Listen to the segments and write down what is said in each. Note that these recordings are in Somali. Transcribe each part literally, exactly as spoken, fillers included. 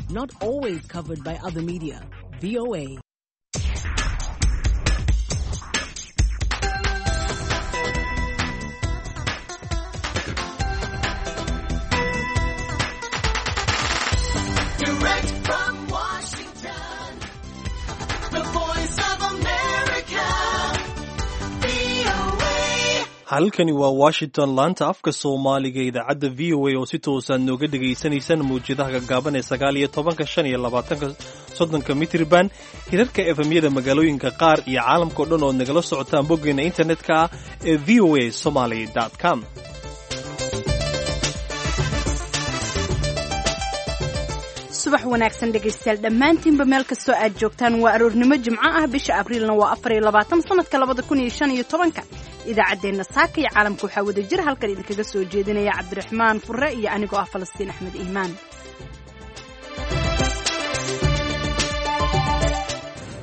Not always covered by other media. V O A. Direct from Washington, the voice of America, V O A. Halkani waa Washington, laanta afka Soomaaliga, idaacadda V O A oo si toosaad nooga dhegaysanaysaan mawjadaha gaggaaban ee sagaal iyo tobanka, shan iyo labaatanka, soddonka mitriban, hirarka efemyada magaalooyinka qaar iyo caalamkao dhan ood nagala socotaan boggeena internetka ah ee V O A somaly com. Subax wanaagsan dhegaystayaal dhammaantiinba meel kastoo aad joogtaan. Waa aroornimo jimco ah, bisha Abriilna waa afar iyo labaatan sanadka labada kun iyo shan iyo tobanka. Idaacaddeenna saaka iyo caalamka waxaa wada jir halkan idinkaga soo jeedinaya Cabdiraxmaan Furre iyo anigoo ah Falastiin Axmed Iimaan.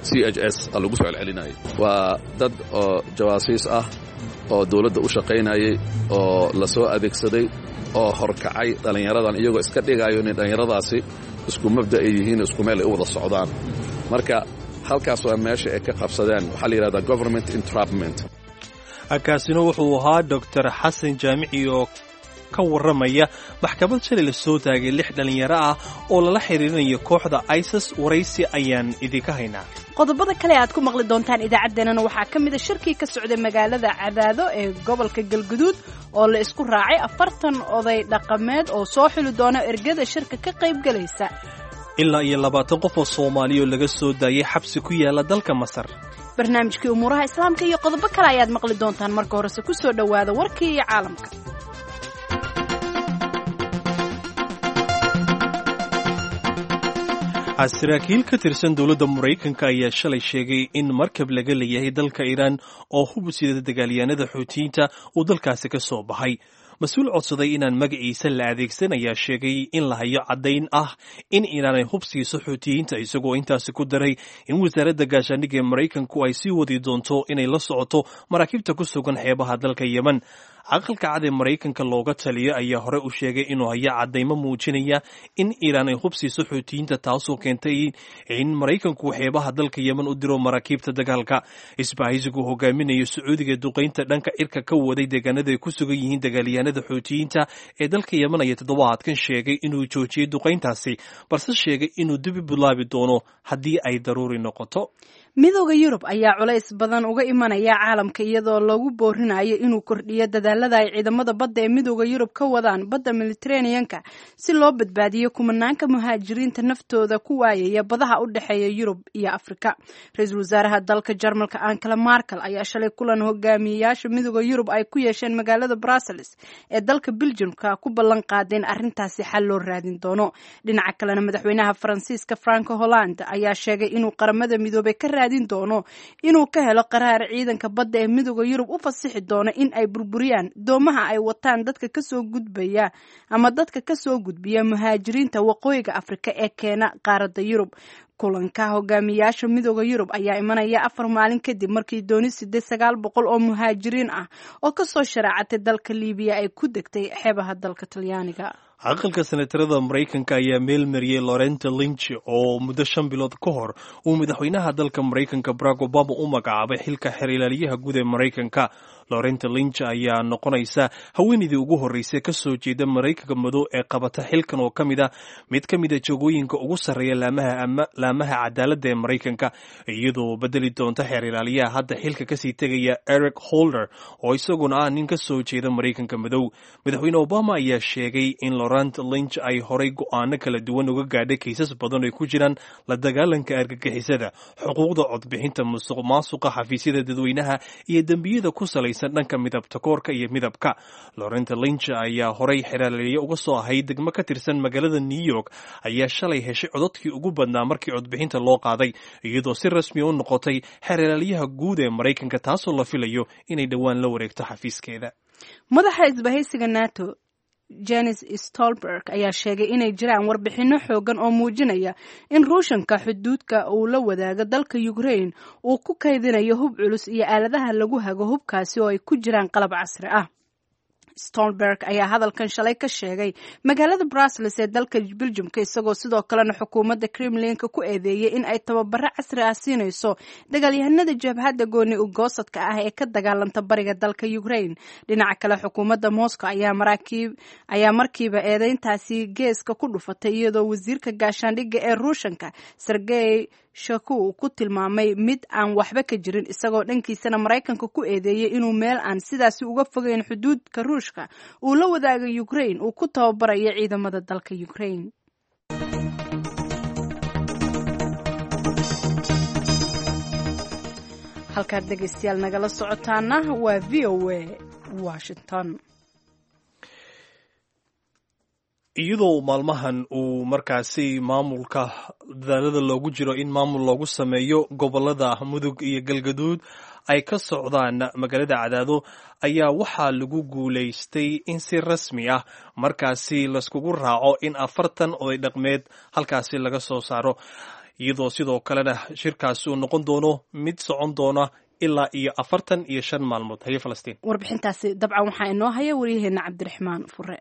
C H S a lagu soo celcelinayay waa dad oo jawaasiis ah oo dawladda u shaqaynayay oo la soo adeegsaday oo horkacay dhallinyaradan, iyagoo iska dhigayo inay dhallinyaradaasi isku mabda ay yihiin, isku meel ay u wada socdaan. Marka halkaas waa meesha ay ka qabsadeen, waxaa la yidhahdaa government entrapment. Kaasina wuxuu ahaa Doctor Xasan Jaamici oo ka warramaya maxkamad shalay la soo taagay lix dhallinyaro ah oo lala xiriirinayo kooxda ISIS. Waraysi ayaan idinka haynaa. Qodobada kale aad ku maqli doontaan idaacaddeenana waxaa ka mid a shirkii ka socday magaalada Cadaado ee gobolka Galguduud oo la isku raacay afartan oday dhaqameed oo soo xuli doona ergada shirka ka qaybgalaysa. Ilaa iyo labaatan qof oo Soomaaliya oo laga soo daayay xabsi ku yaala dalka Masar. Barnaamijkii umuuraha Islaamka iyo qodobo kale ayaad maqli doontaan. Marka horese ku soo dhowaada warkii iyo caalamka. Saraakiil ka tirsan dowladda Maraykanka ayaa shalay sheegay in markab laga leeyahay dalka Iiraan oo hub sida dagaalyahanada Xuutiyiinta uu dalkaasi ka soo baxay. Mas-uul codsaday inaan magaciisa la adeegsan ayaa sheegay in la hayo caddayn ah in Iiraan ay hub siiso Xuutiyiinta, isagoo intaasi ku daray in wasaaradda gaashaandhigga ee Maraykanku ay sii wadi doonto inay la socoto maraakiibta ku sugan xeebaha dalka Yemen. Aqalka Cad ee Maraykanka looga taliyo ayaa hore u sheegay inuu hayo caddaymo muujinaya in Iiraan ay hub siiso Xuutiyiinta, taasoo keentay in Maraykanku xeebaha dalka Yemen u diro maraakiibta dagaalka. Isbahaysigu hogaaminayo Sacuudiga duqaynta dhanka cirka ka waday deegaanada ay ku sugan yihiin dagaalyahanada Xuutiyiinta ee dalka Yemen ayaa toddobaadkan sheegay inuu joojiyey duqayntaasi, balse sheegay inuu dib u bilaabi doono haddii ay daruuri noqoto. Midooda Yurub ayaa culays badan uga imanaya caalamka iyadoo lagu boorinayo inuu kordhiyo dadaalada ay ciidamada badda ee Midooda Yurub ka wadaan badda Mediterranean-ka si loo badbaadiyo kumanaanka muhaajiriinta naftooda ku waayaya badaha u dhexeeya Yurub iyo Afrika. Ra-iisul wasaaraha dalka Jarmalka Angela Merkel ayaa shalay kulan hogaamiyeyaasha Midooda Yurub ay ku yeesheen magaalada Brussels ee dalka Belgiumka ku ballan qaadeen arrintaasi xal loo raadin doono. Dhinaca kalena, madaxweynaha Faransiiska Franco Hollande ayaa sheegay inuu Qaramada Midoobay ka doono inuu ka helo qaraar ciidanka badda ee Midooda Yurub u fasixi doono in ay burburiyaan doomaha ay wataan dadka kasoo gudbaya ama dadka kasoo gudbiya muhaajiriinta waqooyiga Afrika ee keena qaaradda Yurub. Kulanka hogaamiyaasha Midooda Yurub ayaa imanaya afar maalin kadib markii dooni sideed sagaal boqol oo muhaajiriin ah oo kasoo sharaacatay dalka Liibiya ay ku degtay xeebaha dalka Talyaaniga. Aqalka senatarada Maraykanka ayaa meel mariyey Lorenta Lynch oo muddo shan bilood ka hor uu madaxweynaha dalka Maraykanka Barack Obama u magacaabay xilka xeer ilaaliyaha guud ee Maraykanka. Lorenta Lynch ayaa noqonaysa haweeneydii ugu horreysay ka soo jeeda Maraykanka madow ee qabata xilkan oo ka mid ah mid ka mid a jogooyinka ugu sarreeya laamaha laamaha cadaaladda ee Maraykanka, iyadoo bedeli doonta xeer ilaaliyaha hadda xilka kasii tegaya Eric Holder oo isaguna ah nin ka soo jeeda Maraykanka madow. Madaxweyne Obama ayaa sheegay in Lorent Lynch ay horay go'aano kala duwan uga gaadhay kiisas badan ay ku jiraan la dagaalanka argagixisada, xuquuqda codbixinta, musuq maasuqa xafiisyada dadweynaha iyo dembiyada ku salaysan dhanka midabta koorka iyo midabka. Lorenta Lynch ayaa horay xeraaliye uga soo ahayd degmo ka tirsan magaalada New York ayaa shalay heshay codadkii ugu badnaa markii codbixinta loo qaaday, iyadoo si rasmi u noqotay xeeralyaha guud ee Maraykanka, taasoo la filayo inay dhowaan la wareegto xafiiskeeda. Madaxa isbahaysiga NATO Jens Stolberg ayaa sheegay inay jiraan warbixinno xoogan oo muujinaya in Ruushanka xuduudka uu la wadaago dalka Ukraine uu ku kaydinayo hub culus iyo aaladaha lagu hago hubkaasi oo ay ku jiraan qalab casri ah. Stoltenberg ayaa hadalkan shalay ka sheegay magaalada Brussels ee dalka Belgiumka, isagoo sidoo kalena xukuumadda Kremlinka ku eedeeyey in ay tababaro casri ah siinayso dagaalyahanada jabhadda gooni ugoosadka ah ee ka dagaalanta bariga dalka Ukraine. Dhinaca kale, xukuumadda Moscow ayaa maraakiib ayaa markiiba eedeyntaasi geeska ku dhufatay, iyadoo wasiirka gaashaandhigga ee Ruushanka Sergey Shoigu uu ku tilmaamay mid aan waxba ka jirin, isagoo dhankiisana Maraykanka ku eedeeyey inuu meel aan sidaasi uga fogeyn xuduudka Ruushka uu la wadaagay Ukraine uu ku tababarayo ciidamada dalka Ukraine. Halkaad dhegeystayaal nagala socotaana waa V O A Washington. Iyadoo maalmahan uu markaasi maamulka dadaalada loogu jiro in maamul loogu sameeyo gobolada Mudug iyo Galgaduud ay ka socdaan magaalada Cadaado, ayaa waxaa lagu guulaystay in si rasmi ah markaasi laiskugu raaco in afartan oday dhaqmeed halkaasi laga soo saaro, iyadoo sidoo kalena shirkaasi uu noqon doono mid socon doona ilaa iyo afartan iyo shan maalmood. Haye Falastiin, warbixintaasi dabcan waxaa inoo haya waryaheena Cabdiraxmaan Fure.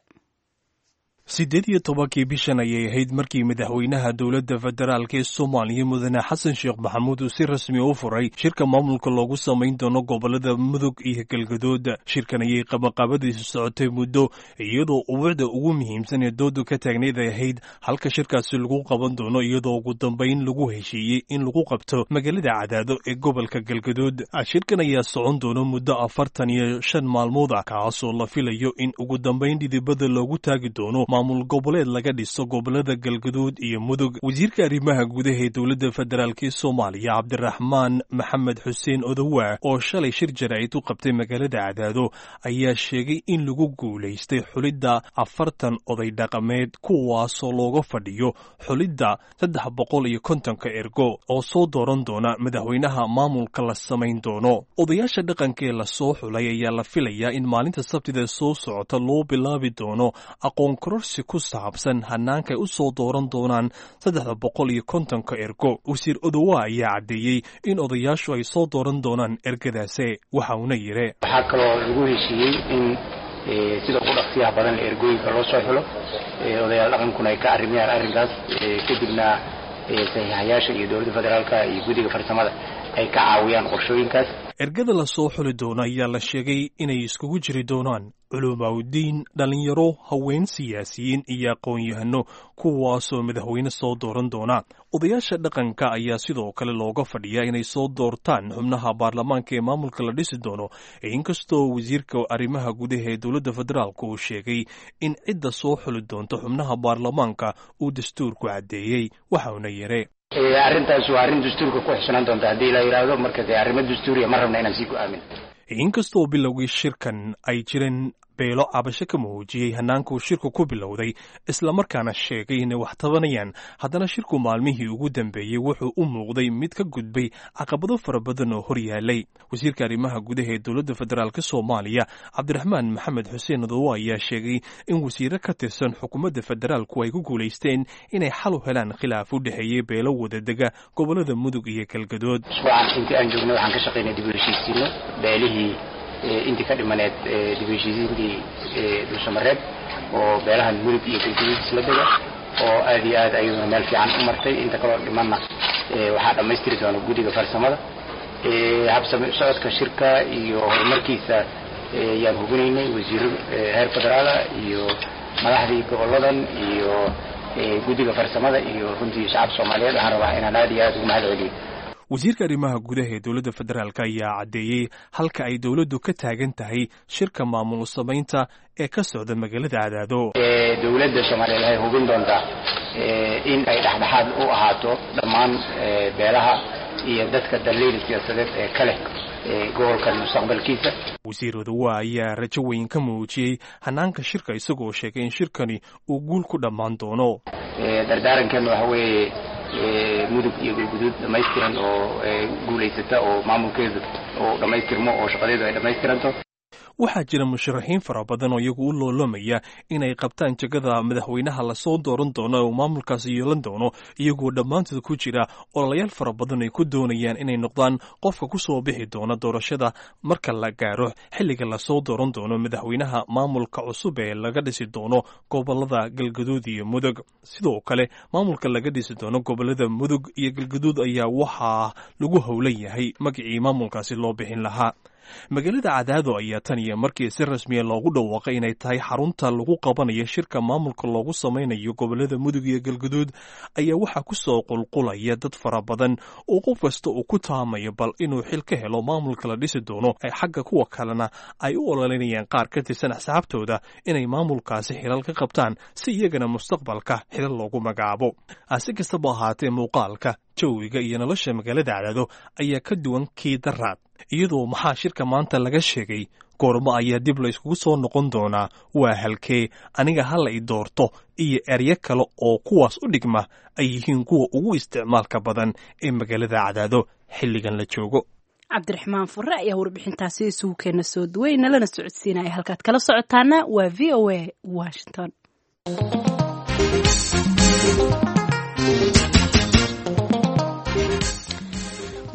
Siddeed iyo tobankii bishan ayay ahayd markii madaxweynaha dowladda federaalk ee Soomaaliya mudane Xasan Sheekh Maxamuud uu si rasmi u furay shirka maamulka loogu samayn doono gobolada Mudug iyo Galgaduud. Shirkan ayay qabaqaabadiisu socotay muddo, iyadoo ubuucda ugu muhiimsan ee doodu ka taagnayd ay ahayd halka shirkaasi lagu qaban doono, iyadoo ugu dambayn lagu heshiiyey in lagu qabto magaalada Cadaado ee gobolka Galgaduud. Shirkan ayaa socon doono muddo afartan iyo shan maalmood ah, kaasoo la filayo in ugu dambayn dhidibada loogu taagi doono maamul goboleed laga dhiso gobolada Galgaduud iyo Mudug. Wasiirka arrimaha gudaha ee dowladda federaalk ee Soomaaliya Cabdiraxmaan Maxamed Xuseen Odowa oo shalay shir jaraa'id u qabtay magaalada Cadaado ayaa sheegay in lagu guulaystay xulidda afartan oday dhaqameed, kuwaasoo looga fadhiyo xulidda saddex boqol iyo kontonka ergo oo soo dooran doona madaxweynaha maamulka la samayn doono. Odayaasha dhaqanka ee lasoo xulay ayaa la filayaa in maalinta Sabtida soo socota loo bilaabi doono aqoon kororsi ku saabsan hanaanka ay u soo dooran doonaan saddexda boqol iyo kontonka ergo. Wasiir Odowa ayaa caddeeyey in odayaashu ay soo dooran doonaan ergadaase, waxa uuna yidhi: Waxaa kaloo lagu heshiiyey in sida ugu dhaqsiyaha badan ergooyinka loo soo xulo, odayaal dhaqankuna ay ka arrimayaan arrinkaas, kadibna saxiixayaasha iyo dowladda federaalka iyo guddiga farsamada ay ka caawiyaan qorshooyinkaas. Ergada la soo xuli doono ayaa la sheegay inay iskugu jiri doonaan culumaawdiin, dhalinyaro, haween, siyaasiyiin iyo aqoon-yahano, kuwaasoo madaxweyne soo dooran doona. Odayaasha dhaqanka ayaa sidoo kale looga fadhiyaa inay soo doortaan xubnaha baarlamaanka ee maamulka la dhisi doono, inkastoo wasiirka arrimaha gudaha ee dowladda federaalk uu sheegay in cidda soo xuli doonto xubnaha baarlamaanka uu dastuurku caddeeyey, waxauna yidhi: Arrintaas waa arrin dastuurka ku xusnaan doonta haddii la yidhaahdo. Marka dee arrimo dastuuriya ma rabna inaan sii go'aamin. Inkastoo bilowgii shirkan ay jireen beelo cabasho ka muujiyey hannaankuu shirku ku bilowday, islamarkaana sheegay inay wax tabanayaan, haddana shirku maalmihii ugu dambeeyey wuxuu u muuqday mid ka gudbay caqabado fara badan oo hor yaalay. Wasiirka arrimaha gudaha ee dowladda federaalk Soomaaliya Cabdiraxmaan Maxamed Xuseen Odowa ayaa sheegay in wasiiro ka tirsan xukuumadda federaalku ay ku guulaysteen inay xal u helaan khilaaf u dhexeeyey beelo wadadega gobolada Mudug iyo Galgadood. Usbuucan intii aan joognay waxaan ka shaqaynay dib u heshiisiino beelihii intii ka dhimaneed dib u heshiisiintii Dhuusamareeb oo beelahan Mudug iyo Galgaduud isla dega, oo aad iyo aad ayaduna meel fiican u martay. Inta kaloo dhimanna waxaa dhammaystiri doona guddiga farsamada. Habsami socodka shirka iyo horumarkiisa yaan hubinaynay, wasiiro heer federaala iyo madaxdii goboladan iyo guddiga farsamada iyo runtii shacabka Soomaaliyeed waxaan rabaa inaan aad iyo aad ugu mahad celiyo. Wasiirka arrimaha gudaha ee dowladda federaalk ayaa caddeeyey halka ay dowladdu ka taagan tahay shirka maamul samaynta ee ka socda magaalada Cadaado. Dowladda Soomaaliyeed waxay hubin doontaa in ay dhexdhexaad u ahaato dhammaan beelaha iyo dadka daliil siyaasadeed ee ka leh gobolkan mustaqbalkiisa. Wasiir Odowa ayaa rajo weyn ka muujiyey hanaanka shirka, isagoo sheegay in shirkani uu guul ku dhammaan doono. Dardaarankeenu waxa weeye Mudug iyo Galguduud dhammaystiran oo guulaysata oo maamulkeedu oo dhammaystirmo oo shaqadeedu ay dhammaystiranto. Waxaa jira musharaxiin fara badan oo iyagu u loolamaya inay qabtaan jegada madaxweynaha lasoo dooran doono ee uu maamulkaasi yeelan doono, iyagoo dhammaantood ku jira ololayaal fara badan ay ku doonayaan inay noqdaan qofka ku soo bixi doona doorashada marka la gaaro xilliga lasoo dooran doono madaxweynaha maamulka cusub ee laga dhisi doono gobolada Galgaduud iyo Mudug. Sidoo kale maamulka laga dhisi doono gobolada Mudug iyo Galgaduud ayaa waxaa lagu howlan yahay magacii maamulkaasi loo bixin lahaa. Magaalada Cadaado ayaa tan iyo markii si rasmiya loogu dhawaaqay inay tahay xarunta lagu qabanayo shirka maamulka loogu samaynayo gobolada Mudug iyo Galgaduud ayaa waxaa ku soo qulqulaya dad fara badan oo qof kasta uu ku taamayo bal inuu xil ka helo maamulka la dhisi doono, xagga kuwa kalena ay u ololinayaan qaar ka tirsan axsaabtooda inay maamulkaasi xilal ka qabtaan si iyagana mustaqbalka xilal loogu magacaabo. Si kastaba ahaatee, muuqaalka jawiga iyo nolosha magaalada Cadaado ayaa ka duwan kii daraad, iyadoo maxaa shirka maanta laga sheegay, goormo ayaa dib la iskugu soo noqon doonaa, waa halkee, aniga ha la i doorto iyo eryo kale oo kuwaas u dhigma ay yihiin kuwa ugu isticmaalka badan ee magaalada Cadaado xilligan la joogo. Cabdiraxmaan Fure ayaa warbixintaasi isugu keena soo duway nalana socodsiinaya. Halkaad kala socotaana waa V O A Washington.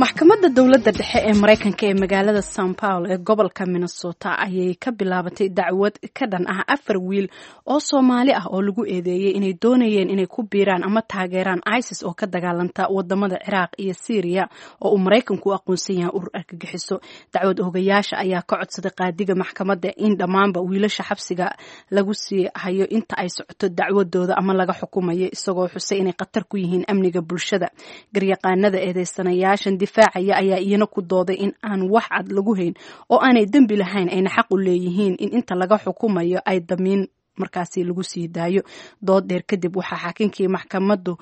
Maxkamadda dowladda dhexe ee Mareykanka ee magaalada San Paul ee gobolka Minnesota ayay ka bilaabatay dacwad ka dhan ah afar wiil oo Soomaali ah oo lagu eedeeyey inay doonayeen inay ku biiraan ama taageeraan ISIS oo ka dagaalanta wadamada Ciraaq iyo Syriya, oo uu Mareykanku u aqoonsan yahay urur argagixiso. Dacwad oogayaasha ayaa ka codsaday qaadiga maxkamadda in dhammaanba wiilasha xabsiga lagu sii hayo inta ay socoto dacwadooda ama laga xukumayo, isagoo xusay inay khatar ku yihiin amniga bulshada. Garyaqaanada eedeysanayaashan difaacaya ayaa iyana ku dooday in aan wax cad lagu hayn oo aanay dembi lahayn, ayna xaq u leeyihiin in inta laga xukumayo ay damiin markaasi lagu sii daayo. Dood dheer kadib waxaa xaakinkii maxkamaddu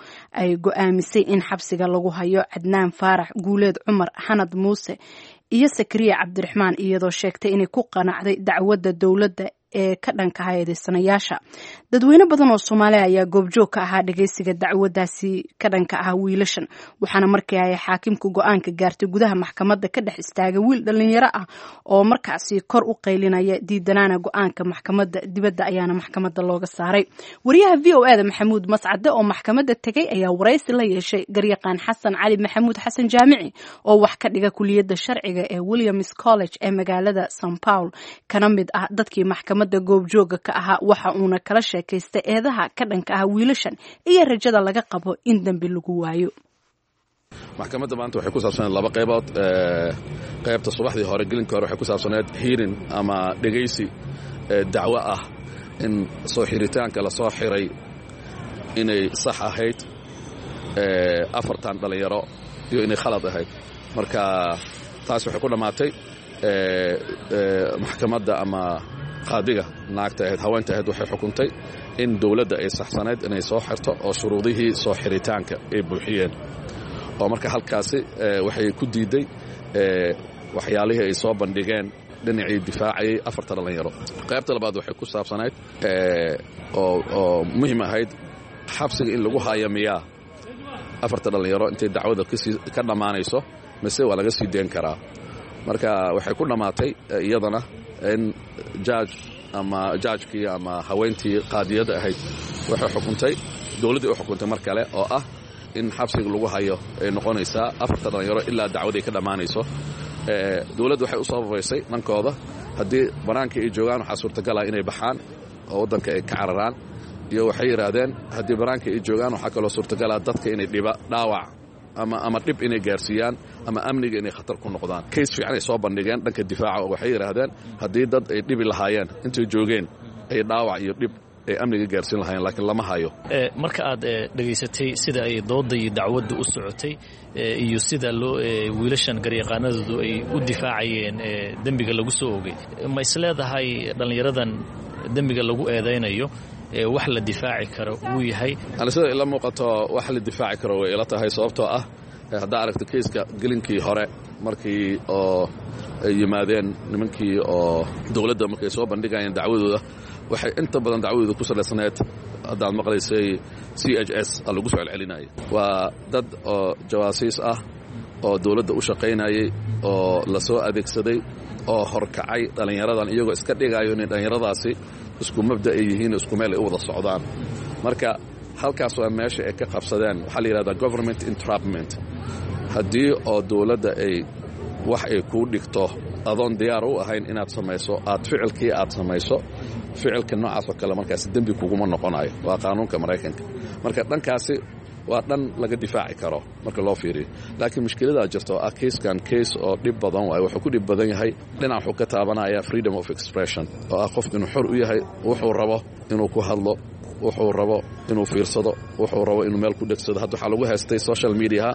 ay go-aamisay in xabsiga lagu hayo Cadnaan Faarax, Guuleed Cumar, Xanad Muuse iyo Sakariya Cabdiraxmaan, iyadoo sheegtay inay ku qanacday dacwadda dowladda ee ka dhanka ah eedeysanayaasha. Dadweyne badan oo Soomaaliya ayaa goobjoog ka ahaa dhageysiga dacwadaasi ka dhanka ah wiilashan, waxaana markii ay xaakimku go-aanka gaartay gudaha maxkamadda ka dhex istaagay wiil dhalinyaro ah oo markaasi kor u qaylinaya diidanaana go-aanka maxkamadda. Dibadda ayaana maxkamadda looga saaray. Wariyaha V O A da Maxamuud Mascade oo maxkamadda tegay ayaa waraysi la yeeshay garyaqaan Xasan Cali Maxamuud Xasan Jaamici oo wax ka dhiga kuliyadda sharciga ee Williams College ee magaalada San Paul, kana mid ah dadkii maxkamadda goobjooga ka ahaa. Waxa uuna kala sheekaystay eedaha ka dhanka ah wiilashan iyo rajada laga qabo in dembi lagu waayo. Maxkamadda maanta waxay ku saabsaneed laba qaybood. Qaybta subaxdii hore, gelinka hore, waxay ku saabsaneed hearing ama dhegaysi dacwo ah in soo xiritaanka la soo xiray inay sax ahayd afartan dhallinyaro iyo inay khalad ahayd. Marka taas waxay ku dhammaatay maxkamadda ama qaadiga naagta ahayd, haweenta ahayd, waxay xukuntay in dowladda ay saxsanayd inay soo xirto oo shuruudihii soo xiritaanka ay buuxiyeen, oo marka halkaasi waxay ku diidday waxyaalihii ay soo bandhigeen dhinacii difaacayay afarta dhallinyaro. Qaybta labaad waxay ku saabsanayd oo muhiim ahayd xabsiga in lagu haayo miyaa afarta dhallinyaro intay dacwada ka dhammaanayso mise waa laga sii deen karaa. Marka waxay ku dhammaatay iyadana in judge ama judgekii ama haweentii qaadiyadda ahayd waxay xukuntay, dowladdii u xukuntay mar kale, oo ah in xabsiga lagu hayo ay noqonaysaa afarta dhallinyaro ilaa dacwaday ka dhammaanayso. Dowladda waxay u sababaysay dhankooda haddii bannaanka ay joogaan waxaa suurtagala inay baxaan oo waddanka ay ka cararaan, iyo waxay yidhaahdeen haddii bannaanka ay joogaan waxaa kaloo suurtagala dadka inay dhiba dhaawac ama ama dhib inay gaarsiiyaan ama amniga inay khatar ku noqdaan. Case fiican ay soo bandhigeen dhanka difaaca oo waxay yidhaahdeen haddii dad ay dhibi lahaayeen intay joogeen ay dhaawac iyo dhib ay amniga gaarsiin lahaayeen, laakiin lama hayo. Marka aad dhegaysatay sida ay doodda iyo dacwadda u socotay iyo sida loo wiilashan garyaqaanadoodu ay u difaacayeen dembiga lagu soo ogay, ma is leedahay dhallinyaradan dembiga lagu eedaynayo wax la difaaci karo wuu yahay? Ani sida ila muuqato wax la difaaci karo way ila tahay, sababtoo ah haddaa aragto keiska gelinkii hore markii oo ay yimaadeen nimankii oo dowladda markay soo bandhigayeen dacwadooda, waxay inta badan dacwadooda ku salaysnayd, haddaad maqlaysay, C H S a lagu soo celcelinayay. Waa dad oo jawaasiis ah oo dowladda u shaqaynayay oo la soo adeegsaday Oo horkacay dhallinyaradan, iyagoo iska dhigayo inay dhallinyaradaasi isku mabda ay yihiin, isku meel ay u wada socdaan. Marka halkaas waa meesha ay ka qabsadeen. Waxaa la yidhahdaa government entrapment. Haddii oo dowladda ay wax ay kuu dhigto adoon diyaar u ahayn inaad samayso, aad ficilkii aad samayso, ficilka noocaas oo kale markaasi dembi kuguma noqonayo. Waa qaanuunka Maraykanka. Marka dhankaasi waa dhan laga difaaci karo marka loo fiiriyo, laakiin mushkiladaa jirta oo ah kayskan case oo dhib badan waayo. Wuxuu ku dhib badan yahay, dhinac wuxuu ka taabanaya freedom of expression, oo ah qofku inuu xor u yahay wuxuu rabo inuu ku hadlo, wuxuu rabo inuu fiirsado, wuxuu rabo inuu meel ku dhegsado. Hadda waxaa lagu haystay social mediaha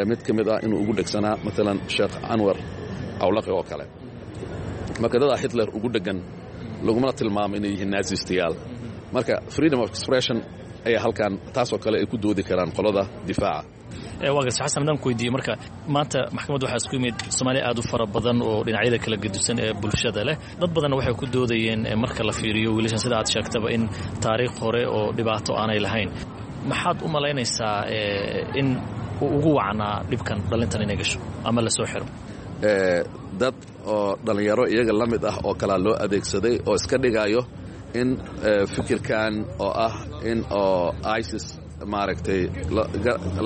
mid ka mid ah inuu ugu dhegsanaa, maalan Sheekh Anwar Cawlaqi oo kale. Marka dadaa Hitler ugu dhegan lagumana tilmaamo inay yihiin nazistayaal. Marka freedom of expression ayaa halkan taasoo kale ay ku doodi karaan qolada difaaca. Waa garta, Xasan. Haddaan ku weydiiye, marka maanta maxkamadda waxaa isku yimid Soomaaliya aad u fara badan oo dhinacyada kala gedusan ee bulshada leh. Dad badanna waxay ku doodayeen, marka la fiiriyo wiilashan, sida aad sheegtaba, in taariikh hore oo dhibaato aanay lahayn. Maxaad u malaynaysaa in uu ugu wacnaa dhibkan dhalintan inay gasho ama la soo xiro? Dad oo dhallinyaro iyaga la mid ah oo kalaa loo adeegsaday oo iska dhigayo in fikirkan oo ah in oo ISIS maaragtay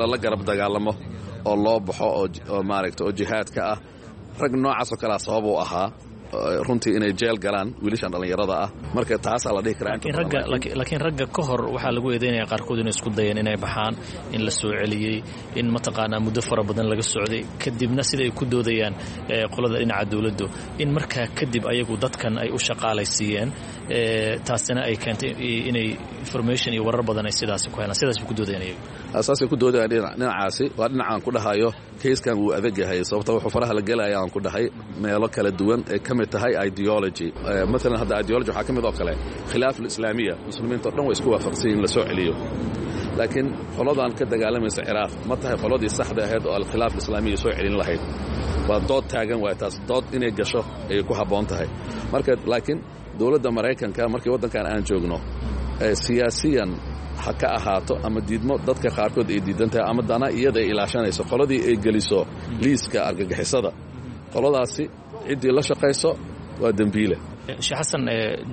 lala garab dagaalamo oo loo baxo oo maaragtay oo jihaadka ah. Rag noocaas oo kalea sabab u ahaa runtii inay jeel galaan wiilashan dhallinyarada ah. Marka taasaa la dhihi karaa. Laakiin ragga ka hor waxaa lagu eedeynaya qaarkood inay isku dayeen inay baxaan, in la soo celiyey, in mataqaanaa muddo fara badan laga socday. Kadibna sida ay ku doodayaan qolada dhinaca dowladdu, in markaa kadib ayagu dadkan ay u shaqaalaysiiyeen, taasina ay keentay inay information iyo warar badan ay sidaasi ku helaan. Sidaas bay ku doodayaan iyagu. Saasay ku doodayaan. Dhinacaasi waa dhinacaan ku dhahayo kayskan wuu adag yahay, sababta wuxuu faraha la gelaya aan ku dhahay meelo kala duwan ay ka mid tahay ideology. Maalan hadda ideology waxaa ka mid oo kale khilaaf alislaamiya. Muslimiinta o dhan way isku waafaqsan in la soo celiyo, laakiin qoladan ka dagaalamaysa Ciraaq ma tahay qoladii saxda ahayd oo alkhilaaf alislaamiya soo celin lahayd? Waa dood taagan waay taas. Dood inay gasho ayay ku habboon tahay. Marka laakiin dowladda Maraykanka markii waddankan aan joogno, siyaasiyan ha ka ahaato ama diidmo dadka qaarkood ay diidan tahay ama dana iyada ay ilaashanayso, qoladii ay geliso liiska argagixisada, qoladaasi ciddii la shaqayso waa dembiile. Sheekh Xasan,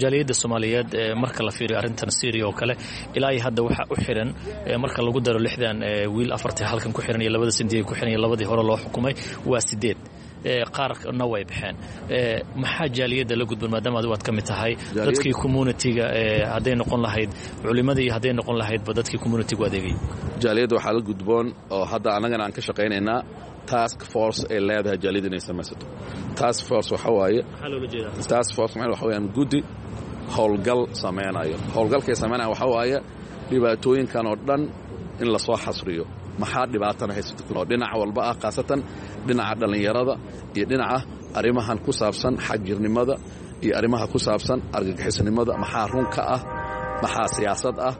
jaaliyadda Soomaaliyeed marka la fiiriyo arrintan Syria oo kale, ilaa iyo hadda waxaa u xiran, marka lagu daro lixdan wiil, afartii halkan ku xiran iyo labada sindiga ku xiran iyo labadii hore loo xukumay, waa sideed. Qaarna way baxeen. Maxaa jaaliyadda la gudban, maadaama adigu aad ka mid tahay dadkii communitiga, hadday noqon lahayd culimadii iyo hadday noqon lahaydba dadkii communitigu adeegay? Jaaliyadda waxaa la gudboon oo hadda annagana aan ka shaqaynaynaa task force ay leedahay jaaliyadda inay samaysato. Task force waxa waaye, task force macna waxa weeyaan guddi howlgal samaynayo. Howlgalkay samaynaya waxa waaye dhibaatooyinkan oo dhan in la soo xasriyo, maxaa dhibaatana haysata oo dhinac walba ah, khaasatan dhinaca dhallinyarada iyo dhinaca arrimahan ku saabsan xagjirnimada iyo arrimaha ku saabsan argagixisnimada. Maxaa run ka ah, maxaa siyaasad ah,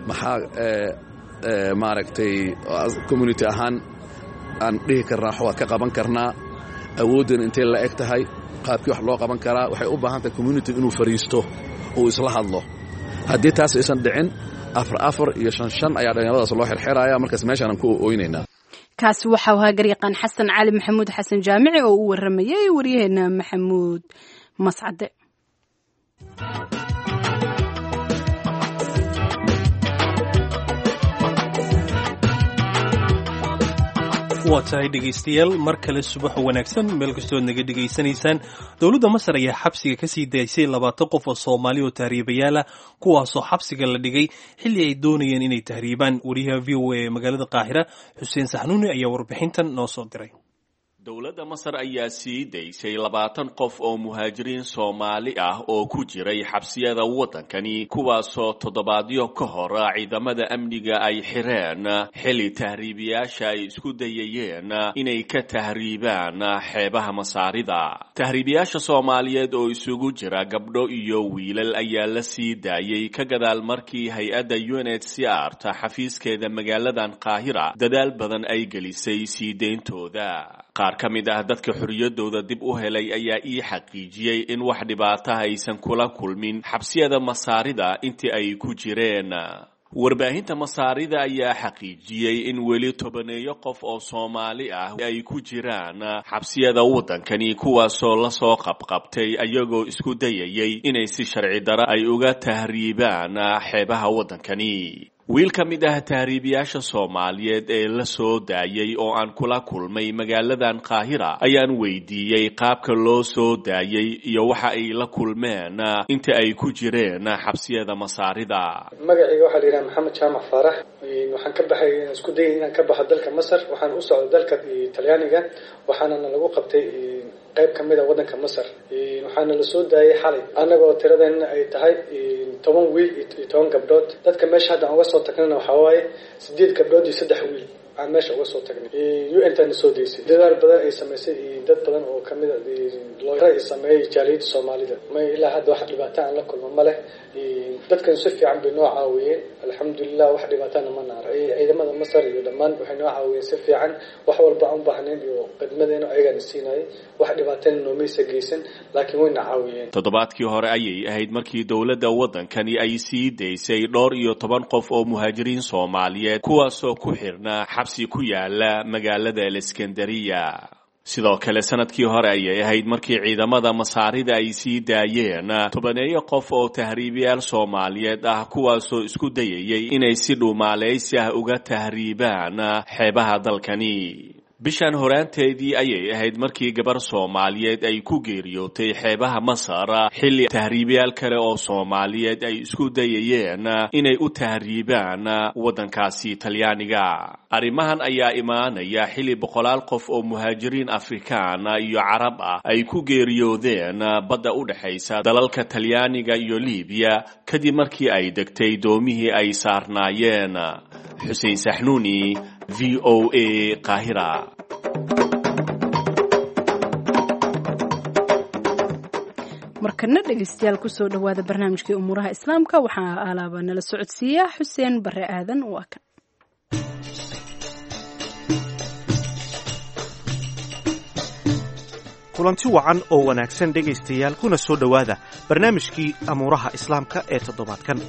maxaa maaragtay community ahaan aan dhihi karnaa wax waa ka qaban karnaa, awooddan intay la eg tahay, qaabkii wax loo qaban karaa. Waxay u baahan tahay community inuu fariisto uu isla hadlo. Haddii taas aysan dhicin, afar afar iyo shan shan ayaa dhallinyaradaas loo xirxiraya. Markaas meeshaan aan ku ooynaynaa. Kaasi waxau ahaa garyaqaan Xasan Cali Maxamuud Xasan Jaamici oo u waramayay waryaheena Maxamuud Mascade. Waa tahay dhegaystayaal, mar kale subax wanaagsan meel kastood naga dhegaysanaysaan. Dowladda Masar ayaa xabsiga kasii daysay labaatan qof oo Soomaali oo tahriibayaal ah, kuwaasoo xabsiga la dhigay xilli ay doonayeen inay tahriibaan. Wariyaha V O A ee magaalada Qaahira, Xuseen Saxnuuni, ayaa warbixintan noo soo diray. Dowladda Masar ayaa sii daysay labaatan qof oo muhaajiriin Soomaali ah oo ku jiray xabsiyada waddankani, kuwaasoo toddobaadyo ka hor ciidamada amniga ay xireen xilli tahriibiyaasha ay isku dayayeen inay ka tahriibaan xeebaha Masaarida. Tahriibiyaasha Soomaaliyeed oo isugu jira gabdho iyo wiilal ayaa la sii daayay ka gadaal markii hay-adda U N H C R ta xafiiskeeda magaaladan Qaahira dadaal badan ay gelisay sii deyntooda. Qaar ka mid ah dadka xorriyaddooda dib u helay ayaa ii xaqiijiyey in wax dhibaataha aysan kula kulmin xabsiyada Masaarida intii ay ku jireen. Warbaahinta Masaarida ayaa xaqiijiyey in weli tobaneeyo qof oo Soomaali ah ay ku jiraan xabsiyada waddankani, kuwaasoo lasoo qabqabtay ayagoo isku dayayay inay si sharci dara ay uga tahriibaan xeebaha waddankani. Wiil ka mid ah tahriibiyaasha Soomaaliyeed ee la soo daayay oo aan kula kulmay magaaladan Qaahira ayaan weydiiyey qaabka loo soo daayay iyo waxa ay la kulmeen inta ay ku jireen xabsiyada Masaarida. Magacayga waxaa la yidhaha Maxamed Jaamac Faarax. Waxaan ka baxay, isku dayay inaan ka baxo dalka Masar, waxaan u socday dalka Talyaaniga, waxaanana lagu qabtay qayb ka mid a waddanka Masar. Waxaana la soo daayay xalay, annagoo tiradeenna ay tahay toban wiil iyo toban gabdhood. Dadka meesha hadda aan uga soo tagnana waxaa waaye sideed gabdhood iyo saddex wiil aan meesha uga soo tagnay. U N tana soo daysay, dadaal badan ay samaysay iyo dad badan oo kamid a looyaro ay sameeyay jaaliyadda Soomaalida. May, ilaa hadda wax dhibaato aan la kulmo ma leh. Dadkan si fiican bay noo caawiyeen, alxamdulilah, wax dhibaatana ma naara. Ciidamada Masar iyo dhammaan waxay noo caawiyeen si fiican, wax walba aan u baahnayn iyo khidmadeena ayagaana siinayay. Wax dhibaatana noomaysa geysan, laakiin wayna caawiyeen. Toddobaadkii hore ayay ahayd markii dowladda waddankani ay sii daysay dhowr iyo toban qof oo muhaajiriin Soomaaliyeed, kuwaasoo ku xirnaa xabsi ku yaala magaalada Aleskandariya. Sidoo kale sanadkii hore ayay ahayd markii ciidamada Masaarida ay sii daayeen tobaneeyo qof oo tahriibiyaal Soomaaliyeed ah, kuwaasoo isku dayayay inay si dhuumaaleysi ah uga tahriibaan xeebaha dalkani. Bishan horaanteedii ayay ahayd markii gabar Soomaaliyeed ay ku geeriyootay xeebaha Masar, xilli tahriibiyaal kale oo Soomaaliyeed ay isku dayayeen inay u tahriibaan waddankaasi Talyaaniga. Arrimahan ayaa imaanaya xilli boqolaal qof oo muhaajiriin Afrikaan iyo Carab ah ay ku geeriyoodeen badda u dhexaysa dalalka Talyaaniga iyo Liibiya, kadib markii ay degtay doomihii ay saarnaayeen. Xuseen Saxnuuni, V O A, Qaahira. Markana dhegeystayaal, kusoo dhowaada barnaamijkii umuuraha Islaamka. Waxaa alaaba nala socodsiiya Xuseen Bare Aadan. Waa kan. Kulanti wacan oo wanaagsan dhegaystayaal, kuna soo dhowaada barnaamijkii amuuraha Islaamka ee toddobaadkan.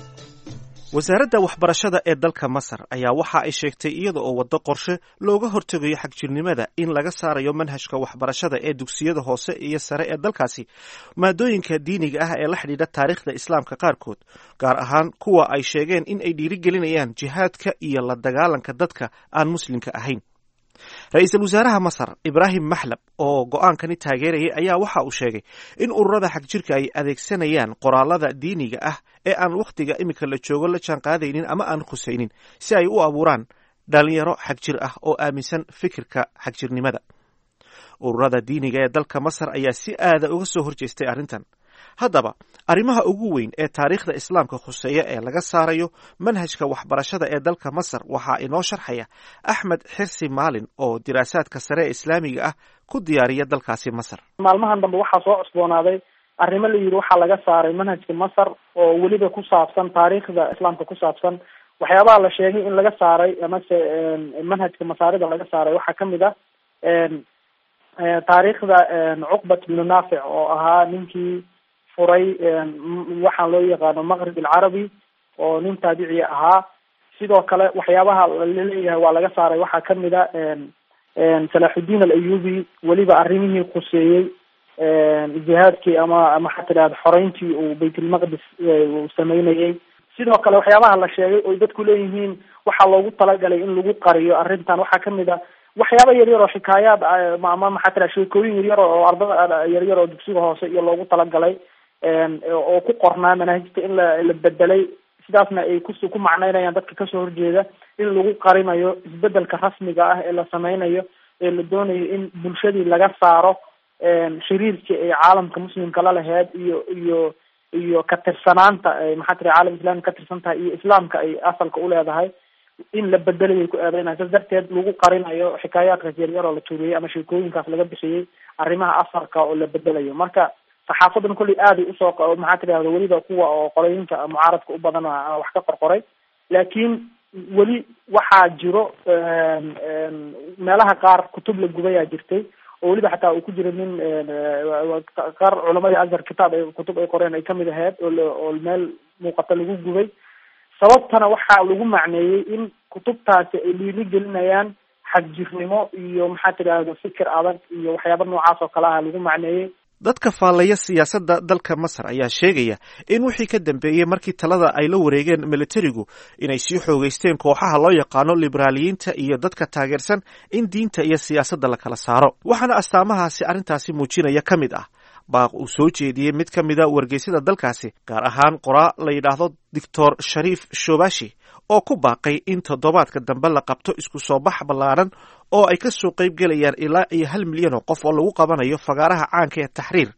Wasaaradda waxbarashada ee dalka Masar ayaa waxa ay sheegtay, iyada oo waddo qorshe looga hortegayo xagjirnimada, in laga saarayo manhajka waxbarashada ee dugsiyada hoose iyo sare ee dalkaasi maadooyinka diiniga ah ee la xidhiidha taariikhda Islaamka qaarkood, gaar ahaan kuwa ay sheegeen in ay dhiirigelinayaan jihaadka iyo la dagaalanka dadka aan Muslimka ahayn. Ra-iisul wasaaraha Masar Ibraahim Maxlab oo go'aankani taageerayay ayaa waxa uu sheegay in ururada xagjirka ay adeegsanayaan qoraalada diiniga ah ee aan wakhtiga iminka la joogo la jaan qaadaynin ama aan khusaynin, si ay u abuuraan dhalinyaro xagjir ah oo aaminsan fikirka xagjirnimada. Ururada diiniga ee dalka Masar ayaa si aada uga soo horjeestay arrintan. Haddaba, arrimaha ugu weyn ee taariikhda Islaamka khuseeya ee laga saarayo manhajka waxbarashada ee dalka Masar waxaa inoo sharxaya Axmed Xirsi Maalin oo diraasaadka sare ee Islaamiga ah ku diyaariya dalkaasi Masar. Maalmahan dambe waxaa soo cusboonaaday arrimo la yidhi waxaa laga saaray manhajka Masar, oo weliba ku saabsan taariikhda Islaamka ku saabsan. Waxyaabaha la sheegay in laga saaray amase manhajka Masaarida laga saaray waxaa kamid ah taariikhda Cuqbat bnu Naafic, oo ahaa ninkii furay waxaan loo yaqaano Maqrib Alcarabi, oo nin taabici ahaa. Sidoo kale waxyaabaha laleeyahay waa laga saaray waxaa kamid a Salaaxudiin Alayubi, weliba arrimihii khuseeyey jihaadkii ama maxaa tidhahda xoreyntii uu Baytulmaqdis uu sameynayay. Sidoo kale waxyaabaha la sheegay oy dadku leeyihiin waxaa loogu talagalay in lagu qariyo arrintan waxaa kamid a waxyaaba yaryar oo xikaayaad ama maxaa tidhahda sheekooyin yaryar oo ardada yaryar oo dugsiga hoose iyo loogu talagalay oo ku qornaa manaahijta in la la bedelay. Sidaasna ay kus ku macneynayaan dadka kasoo horjeeda in lagu qarinayo isbedelka rasmiga ah ee la sameynayo, ee la doonayo in bulshadii laga saaro xiriirkii ay caalamka Muslimka la laheyd iyo iyo iyo ka tirsanaanta maxaa tiri caalam islami ka tirsan tahay iyo Islaamka ay asalka uleedahay in la bedelayay ku eedeynaya. Saas darteed lagu qarinayo xikaayaadkaas yaryar oo la tuuriyey ama sheekooyinkaas laga bixiyey arrimaha asalka oo la bedelayo. Marka saxaafadan kolley aaday usoo maxaa tidahda weliba kuwa oo qolooyinka mucaaradka u badan wax ka qorqoray, laakiin weli waxaa jiro meelaha qaar kutub la gubayaa jirtay, oo weliba xataa uu ku jiro nin qaar culamadii Azhar kitaab ay kutub ay qoreen ay kamid ahayd oo oo meel muuqata lagu gubay. Sababtana waxaa lagu macneeyey in kutubtaasi ay dhiiri gelinayaan xagjirnimo iyo maxaa tidhaahda fikir adag iyo waxyaaba noocaas oo kale ah lagu macneeyey. Dadka faallaya siyaasadda dalka Masar ayaa sheegaya in wixii ka dambeeyey markii talada ay la wareegeen militarigu inay sii xoogeysteen kooxaha loo yaqaano liberaaliyiinta iyo dadka taageersan in diinta iyo siyaasadda la kala saaro. Waxaana astaamahaasi arrintaasi muujinaya ka mid ah baaq uu soo jeediyey mid ka mida wargeysyada dalkaasi, gaar ahaan qoraa la yidhaahdo Doctor Shariif Shobashi, oo ku baaqay in toddobaadka dambe la qabto isku soo bax ballaaran oo ay ka soo qayb gelayaan ilaa iyo hal milyan oo qof oo lagu qabanayo fagaaraha caanka ee Taxriir,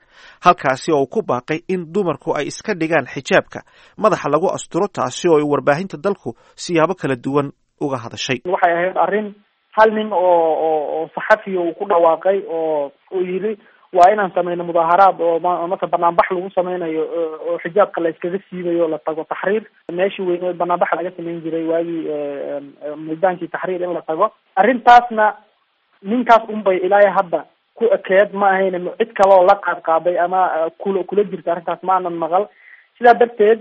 halkaasi oo uu ku baaqay in dumarku ay iska dhigaan xijaabka madaxa lagu asturo, taasi oo ay warbaahinta dalku siyaabo kala duwan uga hadashay. Waxay ahayd arrin hal nin oo oo oo saxafiya uu ku dhawaaqay oo uu yidhi waa inaan sameyno mudaaharaad oo mase banaanbax lagu sameynayo oo xijaabka la iskaga siibayo, la tago Taxriir, meeshii weyneed banaanbaxa laga sameyn jiray waagii, miidaankii Taxriir in la tago. Arrintaasna ninkaas unbay ilaa hadda ku ekeed, ma ahayn cid kale oo la qaad qaaday ama kula kula jirta arrintaas ma aanan maqal. Sidaa darteed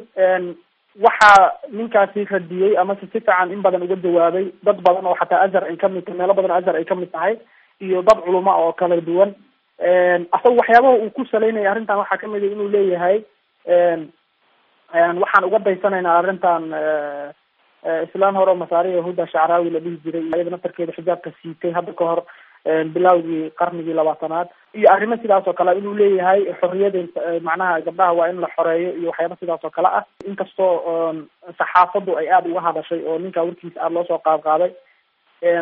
waxaa ninkaasi radiyey amase si fiican in badan uga jawaabay dad badan oo xataa Azhar ay kamid tahay, meelo badan Azhar ay kamid tahay, iyo dad culamo oo kala duwan. Asaga waxyaabaha uu ku saleynaya arrintan waxaa kamid a inuu leeyahay waxaan uga daysanaynaa arrintan islaan hore oo Masaariya Huda Shacraawi la dhihi jiray, iyada naftarkeeda xijaabka siitay hadda ka hor bilawgii qarnigii labaatanaad, iyo arrimo sidaas oo kale inuu leeyahay xorriyada macnaha gabdhaha waa in la xoreeyo iyo waxyaaba sidaas oo kale ah. Inkastoo saxaafaddu ay aada uga hadashay oo ninka warkiisa aada loo soo qaad qaaday,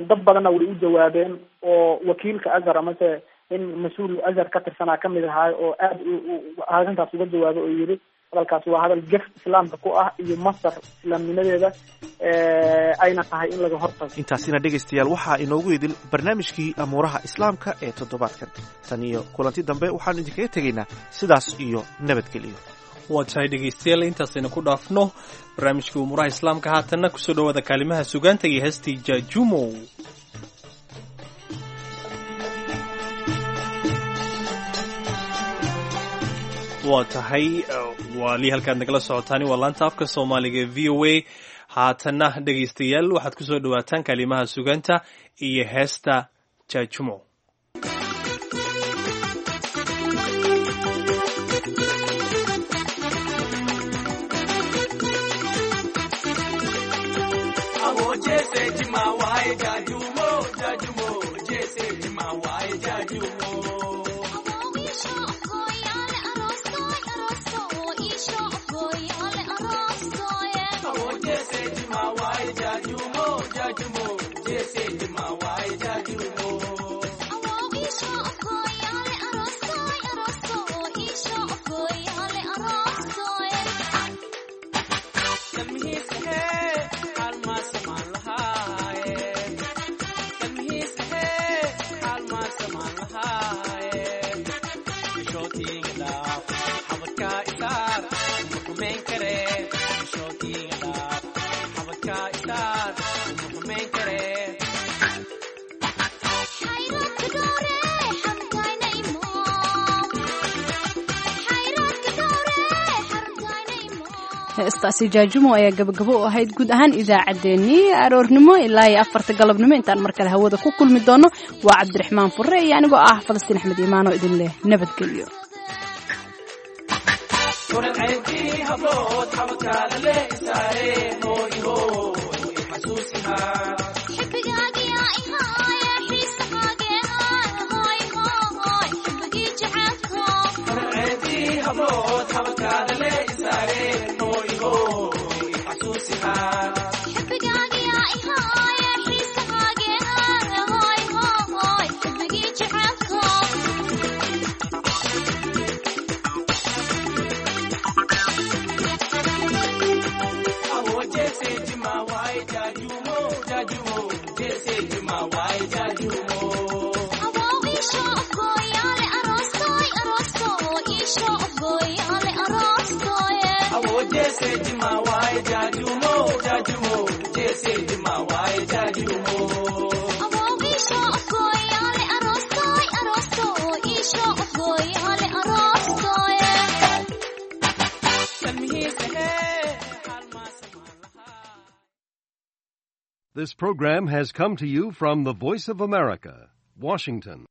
dad badanna way u jawaabeen oo wakiilka Azhar amase in mas-uul Azhar ka tirsanaa kamid ahaay oo aada arrintaas uga jawaabay oo yidhi hadalkaasi waa hadal gef islaamka ku ah iyo Masar islaamnimadeeda, ayna tahay in laga hortago. Intaasina dhegaystayaal waxaa inoogu idil barnaamijkii amuuraha islaamka ee toddobaadkan. Tan iyo kulanti dambe waxaanu idinkaga tegaynaa sidaas iyo nabadgeliyo. Waa tahay dhegaystayaal, intaasaynu ku dhaafno barnaamijkii umuuraha islaamka. Haatanna kusoo dhawaada kaalimaha sugaanta iyo heestii Jaajumow. Waa tahay wali halkaad nagala socotaani waa laanta afka Soomaaliga ee V O A. Haatanna dhegaystayaal waxaad kusoo dhawaataan kaalimaha sugaanta iyo heesta Jaajumo. Heestaasi Jaajumo ayaa gabagabo u ahayd guud ahaan idaacaddeenii aroornimo ilaa iyo afarta galabnimo. Intaan mar kale hawada ku kulmi doono waa Cabdiraxmaan Furre iyo anigoo ah Falastiin Axmed Iimaan oo idin leh nabadgelyo. Jaju, This program has come to you from the Voice of America, Washington.